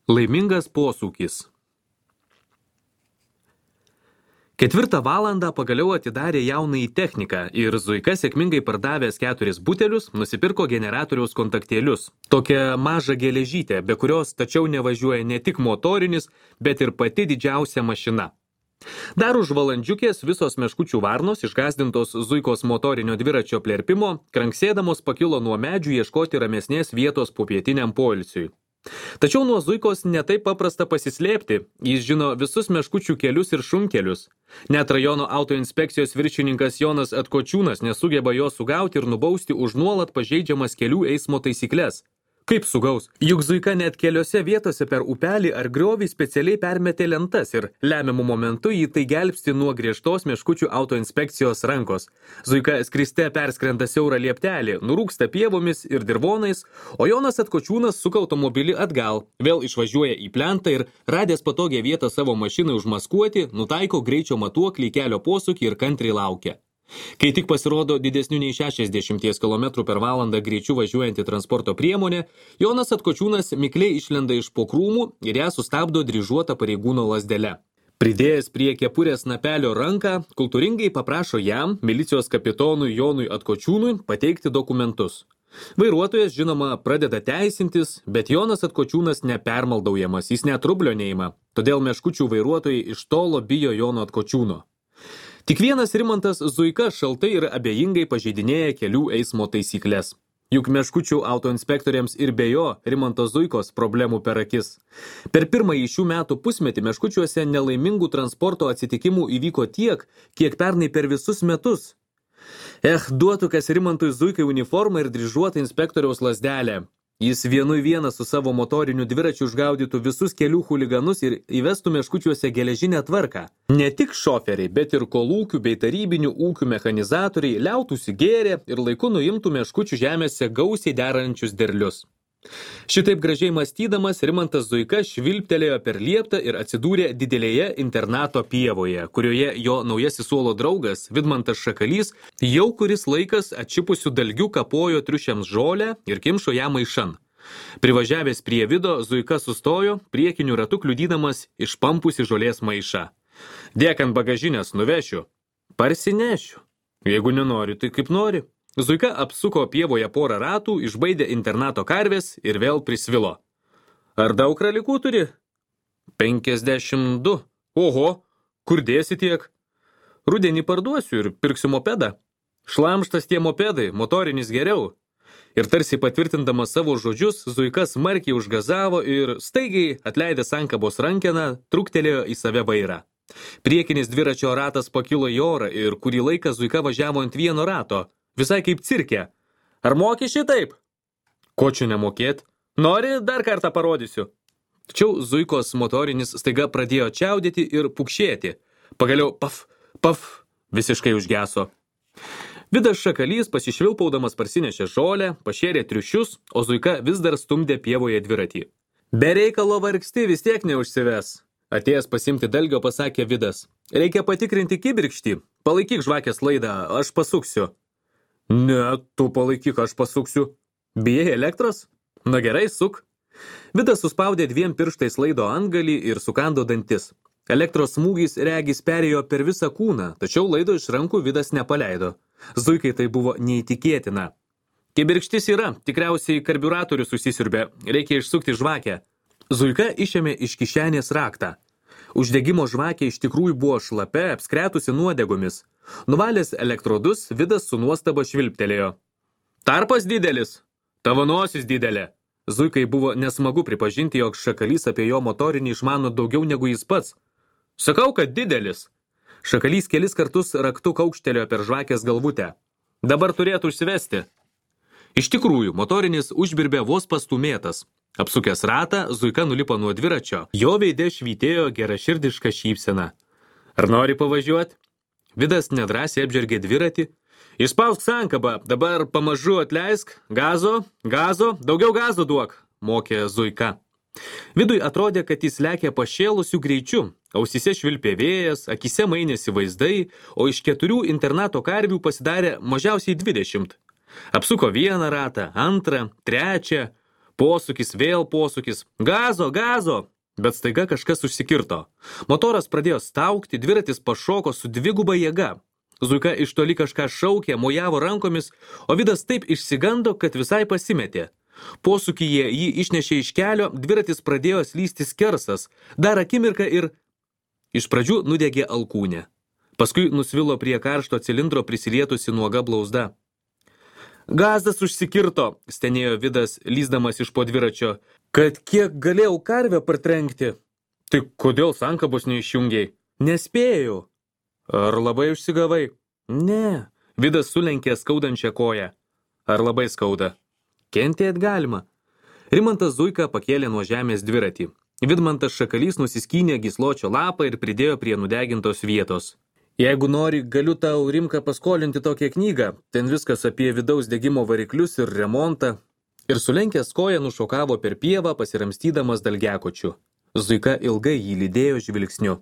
Laimingas posūkis. 4 valandą pagaliau atidarė jaunąjį techniką ir Zuika sėkmingai pardavęs 4 butelius nusipirko generatoriaus kontaktėlius. Tokią mažą geležytę, be kurios tačiau nevažiuoja ne tik motorinis, bet ir pati didžiausia mašina. Dar už valandžiukės visos meškučių varnos, išgąsdintos Zuikos motorinio dviračio plerpimo, kranksėdamos pakilo nuo medžių ieškoti ramesnės vietos popietiniam poilsiui. Tačiau nuo Zuikos netaip paprasta pasislėpti, jis žino visus meškučių kelius ir šunkelius. Net rajono autoinspekcijos viršininkas Jonas Atkočiūnas nesugeba jo sugauti ir nubausti už nuolat pažeidžiamas kelių eismo taisykles. Kaip sugaus? Juk Zuika net keliose vietose per upelį ar griovį specialiai permetė lentas ir lemiamu momentu jį tai gelbsti nuo griežtos meškučių autoinspekcijos rankos. Zuika skriste perskrenda siaurą lieptelį, nurūksta pievomis ir dirvonais, o Jonas Atkočiūnas suka automobilį atgal, vėl išvažiuoja į plentą ir, radęs patogią vietą savo mašinai užmaskuoti, nutaiko greičio matuoklį kelio posūkį ir kantriai laukia. Kai tik pasirodo didesnių nei 60 km/h greičiu važiuojanti transporto priemonė, Jonas Atkočiūnas mikliai išlenda iš po krūmų ir ją sustabdo dryžuota pareigūno lazdele. Pridėjęs prie kepurės snapelio ranką, kultūringai paprašo jam, milicijos kapitonui Jonui Atkočiūnui, pateikti dokumentus. Vairuotojas, žinoma, pradeda teisintis, bet Jonas Atkočiūnas nepermaldaujamas, jis net rublio neima, todėl meškučių vairuotojai iš tolo bijo Jono Atkočiūno. Tik vienas Rimantas Zuika šaltai ir abejingai pažeidinėja kelių eismo taisyklės. Juk meškučių autoinspektoriams ir be jo Rimanto Zuikos problemų per akis. Per pirmąjį šių metų pusmetį meškučiuose nelaimingų transporto atsitikimų įvyko tiek, kiek pernai per visus metus. Duotų kas Rimantui Zuikai uniformą ir dryžuotą inspektoriaus lazdelę. Jis vienu į vieną su savo motoriniu dviračiu užgaudytų visus kelių chuliganus ir įvestų meškučiuose geležinę tvarką. Ne tik šoferiai, bet ir kolūkių bei tarybinių ūkių mechanizatoriai liautųsi gėrę ir laiku nuimtų meškučių žemėse gausiai derančius derlius. Šitaip gražiai mąstydamas, Rimantas Zuika švilptelėjo per lieptą ir atsidūrė didelėje internato pievoje, kurioje jo naujasis suolo draugas, Vidmantas Šakalys, jau kuris laikas atšipusių dalgių kapojo triušiams žolę ir kimšo ją maišan. Privažiavęs prie Vido, Zuika sustojo, priekiniu ratu kliudydamas išpampusi žolės maišą. Dėk ant bagažinės, nuvešiu. Parsinešiu. Jeigu nenori, tai kaip nori. Zuika apsuko pievoje porą ratų, išbaidė internato karvės ir vėl prisvilo. Ar daug kralikų turi? 52. Oho, kur dėsi tiek? Rudenį parduosiu ir pirksiu mopedą. Šlamštas tie mopedai, motorinis geriau. Ir tarsi patvirtindamas savo žodžius, Zuika smarkiai užgazavo ir staigiai, atleidęs sankabos rankeną, truktelėjo į save vairą. Priekinis dviračio ratas pakilo į orą ir kurį laiką Zuika važiavo ant vieno rato. Visai kaip cirke. Ar moki šitaip? Ko čia nemokėt? Nori, dar kartą parodysiu. Tačiau Zuikos motorinis staiga pradėjo čiaudėti ir pukšėti. Pagaliau paf, visiškai užgeso. Vidas Šakalys pasišvilpaudamas parsinešė žolę, pašėrė triušius, o Zuika vis dar stumdė pievoje dviratį. Be reikalo vargsti vis tiek neužsives. Atėjęs pasimti dalgio pasakė Vidas. Reikia patikrinti kibirkštį. Palaikyk žvakės laidą, aš pasuksiu. Ne, tu palaikyk, aš pasuksiu. Bijai elektros? Na gerai, suk. Vidas suspaudė 2 pirštais laido antgalį ir sukando dantis. Elektros smūgis regis perėjo per visą kūną, tačiau laido iš rankų Vidas nepaleido. Zuikai tai buvo neįtikėtina. Kibirkštis yra, tikriausiai karbiuratorius susisiurbė, reikia išsukti žvakę. Zuika išėmė iš kišenės raktą. Uždegimo žvakė iš tikrųjų buvo šlapia, apskretusi nuodegomis. Nuvalęs elektrodus, Vidas su nuostaba švilptelėjo. Tarpas didelis, tavo nosis didelė. Zuikai buvo nesmagu pripažinti, jog Šakalys apie jo motorinį išmano daugiau negu jis pats. Sakau, kad didelis. Šakalys kelis kartus raktu kaukštelėjo per žvakės galvutę. Dabar turėtų užsivesti. Iš tikrųjų, motorinis užbirbė vos pastumėtas. Apsukęs ratą, Zuika nulipo nuo dviračio. Jo veide švytėjo geraširdiška šypsena. Ar nori pavažiuoti? Vidas nedrąsiai apžergė dviratį. Išspausk sankabą, dabar pamažu atleisk. Gazo, daugiau gazo duok, mokė Zuika. Vidui atrodė, kad jis lekia pašėlusių greičių. Ausyse švilpė vėjas, akise mainėsi vaizdai, o iš 4 internato karvių pasidarė mažiausiai 20. Apsuko vieną ratą, antrą, trečią. Posūkis, vėl posūkis. Gazo, gazo! Bet staiga kažkas užsikirto. Motoras pradėjo staugti, dviratis pašoko su dviguba jėga. Zuika iš toli kažką šaukė, mojavo rankomis, o Vidas taip išsigando, kad visai pasimetė. Posūkyje jį išnešė iš kelio, dviratis pradėjo slysti skersas. Dar akimirką ir iš pradžių nudegė alkūnė. Paskui nusvilo prie karšto cilindro prisilietusi nuoga blauzda. Gazdas užsikirto, stenėjo Vidas, lysdamas iš po dviračio, kad kiek galėjau karvę partrenkti. Tai kodėl sankabos neišjungiai? Nespėjau. Ar labai užsigavai? Ne. Vidas sulenkė skaudančią koją. Ar labai skauda? Kentėt galima. Rimantas Zuika pakėlė nuo žemės dviratį. Vidmantas Šakalys nusiskynė gysločio lapą ir pridėjo prie nudegintos vietos. Jeigu nori, galiu tau, Rimka, paskolinti tokią knygą. Ten viskas apie vidaus degimo variklius ir remontą. Ir sulenkęs koją nušokavo per pievą, pasiramstydamas dalgekočiu. Zuika ilgai jį lydėjo žvilgsniu.